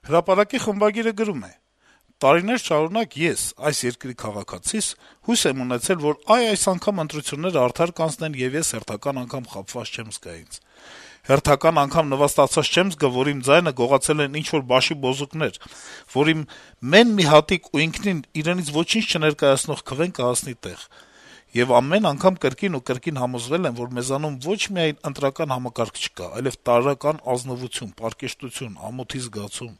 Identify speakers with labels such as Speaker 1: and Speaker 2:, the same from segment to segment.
Speaker 1: Հրապարակի խմբագիրը գրում է. - «Տարիներ շարունակ ես, այս երկրի քաղաքացիս, հույս եմ ունեցել, որ այս անգամ ընտրությունները արդար կանցնեն, եւ ես հերթական անգամ խաբված չեմ զգա ինձ: Հերթական անգամ նվաստացած չեմ զգա, որ իմ ձայնը գողացել են ինչ-որ բաշի բոզուկներ, որ իմ մեն մի հատիկ ու ինքնին իրենից ոչինչ չներկայացնող քվեն կհասնի տեղ: Եվ ամեն անգամ կրկին ու կրկին համոզվել եմ, որ մեզանում ոչ միայն ընտրական համակարգ չկա, այլեւ տարրական ազնվություն, պարկեշտություն, ամոթի զգացում: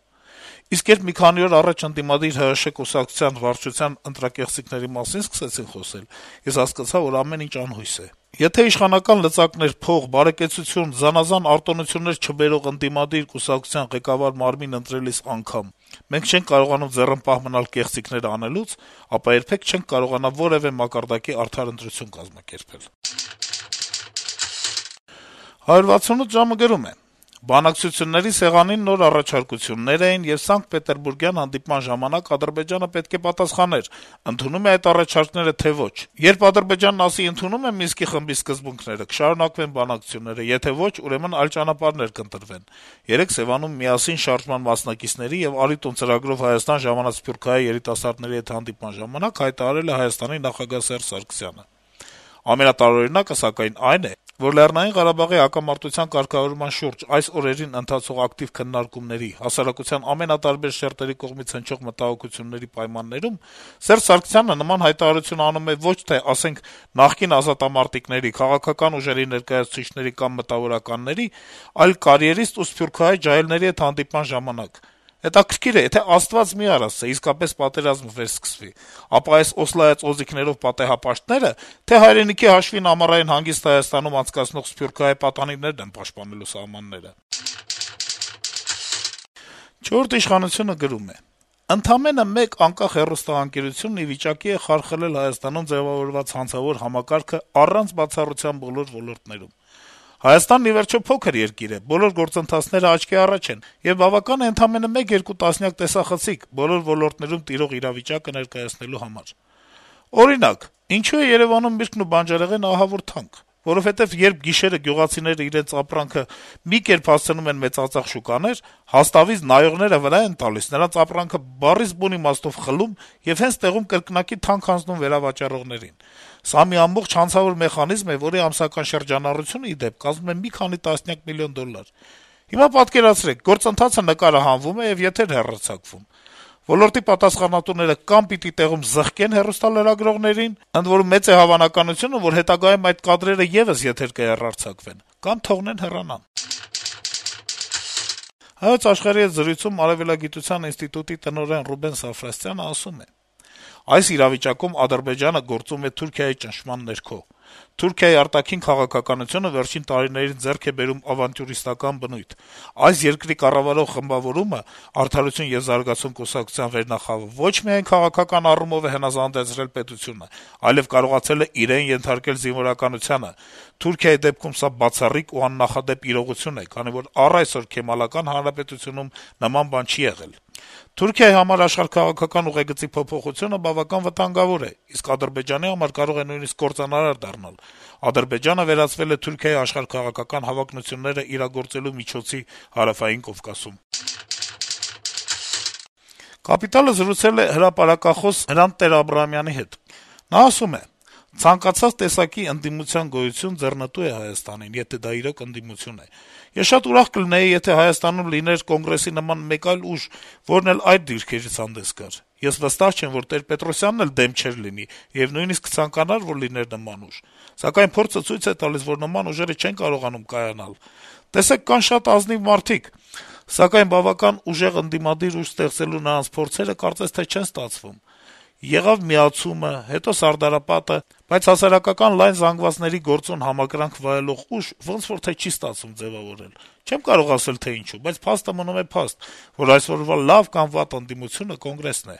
Speaker 1: Իսկ երբ մի քանի օր առաջ ընդդիմադիր ՀՀՇ կուսակցության վարչության ընտրակեղծիքների մասին սկսեցին խոսել, ես հասկացա, որ ամեն ինչ անհույս է: Եթե իշխանական լծակներ, փող, բարեկեցություն, զանազան արտոնություններ չբերող ընդդիմադիր կուսակցության ղեկավար մարմին ընտրելիս անգամ մենք չենք կարողանում ձեռնպահ մնալ կեղծիքներ անելուց, ապա երբեք չենք կարողանա որեւէ մակարդակի արդար ընտրություն կազմակերպել»: «168 ժամ»-ը գրում է. - «Բանակցությունների սեղանին նոր առաջարկություններ էին, եւ Սանկտ Պետերբուրգյան հանդիպման ժամանակ Ադրբեջանը պետք է պատասխաներ` ընդունո՞ւմ է այդ առաջարկները, թե ոչ: Երբ Ադրբեջանն ասի` ընդունում եմ Մինսկի խմբի սկզբունքները, կշարունակվեն բանակցությունները, եթե ոչ, ուրեմն այլ ճանապարհներ կընտրվեն: Երեկ Սեւանում «Միասին» շարժման մասնակիցների եւ «Արի տուն» ծրագրով Հայաստան ժամանած սփյուռքահայ երիտասարդների հետ հանդիպման ժամանակ հայտարարել է Հայաստանի նախագահ Սերժ Սարգսյանը: Ամենատարօրինակը, սակայն, այն է, որ Լեռնային Ղարաբաղի հակամարտության կարգավորման շուրջ այս օրերին ընթացող ակտիվ քննարկումների, հասարակության ամենատարբեր շերտերի կողմից հնչող մտահոգությունների պայմաններում Սերժ Սարգսյանը նման հայտարարություն անում է ոչ թե, ասենք, նախկին ազատամարտիկների, քաղաքական ուժերի ներկայացուցիչների կամ մտավորականների, այլ կարիերիստ ու սփյուռքահայ ջահելների հետ հանդիպման ժամանակ: Հետաքրքիր է, եթե Աստված մի արասցե, իսկապես պատերազմ վերսկսվի, ապա այս օսլայած օձիքներով պատեհապաշտները, թե հայրենիքի հաշվին ամառային հանգիստ Հայաստանում անցկացնող սփյուռքահայ պատանիներն են պաշտպանելու սահմանները»: «Չորրորդ ինքնիշխանություն»-ը գրում է. - «Ընդամենը մեկ անկախ հեռուստաընկերությունն ի վիճակի է խարխլել Հայաստանում ձեւավորված հանցավոր համակարգը առանց բացառության բոլոր ոլորտներում: Հայաստանն, ի վերջո, փոքր երկիր է, բոլոր գործընթացները աչքի առաջ են, եւ բավական է ընդամենը 1-2 տասնյակ տեսախցիկ բոլոր ոլորտներում տիրող իրավիճակը ներկայացնելու համար: Օրինակ, ինչո՞ւ է Երեւանում միրգն ու բանջարեղենը ահավոր թանկ: Որովհետեւ երբ գիշերը գյուղացիները իրենց ապրանքը մի կերպ հասցնում են մեծածախ շուկաներ, հաստավից նայողները վրա են տալիս, նրանց ապրանքը բառից բուն իմաստով խլում եւ հենց տեղում կրկնակի թանկ հանձնում վերավաճառողներին: Սա մի ամբողջ հանցավոր մեխանիզմ է, որի ամսական շրջանառությունը, ի դեպ, կազմում է մի քանի տասնյակ միլիոն դոլար: Հիմա պատկերացրեք, գործընթացը նկարահանվում է եւ եթեր հեռարձակվում: Ոլորտի պատասխանատուները կամ պիտի տեղում զղկեն հեռուստալրագրողներին, ընդ որում մեծ է հավանականությունը, որ հետագայում այդ կադրերը եւս եթեր կհեռարձակվեն, կամ թողնեն հեռանան»: «Հայոց Աշխարհ»-ի հետ զրույցում Արեւելագիտության ինստիտուտի տնօրեն Ռուբեն Սաֆրասյանը ասում է. - «Այս իրավիճակում Ադրբեջանը գործում է Թուրքիայի ճնշման ներքո: Թուրքիայի արտաքին քաղաքականությունը վերջին տարիներին ձեռք է բերում ավանտյուրիստական բնույթ: Այս երկրի կառավարող խմբավորումը` «Արդարություն եւ զարգացում» կուսակցության վերնախավը, ոչ միայն քաղաքական առումով է հնազանդեցրել պետությունը, այլեւ կարողացել է իրեն ենթարկել զինվորականությանը: Թուրքիայի դեպքում սա բացառիկ ու աննախադեպ իրողություն է, քանի որ առ այսօր Քեմալական Հանրապետությունում նման բան չի եղել: Թուրքիայի համար աշխարհաքաղաքական ուղեգծի փոփոխությունը բավական վտանգավոր է, իսկ Ադրբեջանի համար կարող է նույնիսկ կործանարար դառնալ: Ադրբեջանը վերածվել է Թուրքիայի աշխարհաքաղաքական հավակնությունները իրագործելու միջոցի Հարավային Կովկասում»: «Կապիտալ»-ը զրուցել է հրապարակախոս Հրանտ Տեր-Աբրահամյանի հետ: Նա ասում է. - «Ցանկացած տեսակի ընդդիմության գոյություն ձեռնտու է Հայաստանին, եթե դա իրոք ընդդիմություն է: Ես շատ ուրախ կլինեի, եթե Հայաստանում լիներ Կոնգրեսի նման մեկ այլ ուժ, որն էլ այդ դիրքերից հանդես գար: Ես վստահ չեմ, որ Տեր-Պետրոսյանն էլ դեմ չէր լինի եւ նույնիսկ կցանկանար, որ լիներ նման ուժ: Սակայն փորձը ցույց է տալիս, որ նման ուժերը չեն կարողանում կայանալ: Տեսեք, կան շատ ազնիվ մարդիկ, սակայն բավական ուժեղ ընդդիմադիր ուժ ստեղծելու նրանց փորձերը կարծես թե չեն ստացվում: Եղավ միացումը, հետո Սարդարապատը, բայց հասարակական լայն զանգվածների գործուն համակրանք վայելող ուժ ոնց որ թե չի ստացվում ձեւավորել: Չեմ կարող ասել, թե ինչու, բայց փաստը մնում է փաստ, որ այսօրվա լավ կամ վատ ընդդիմությունը Կոնգրեսն է»: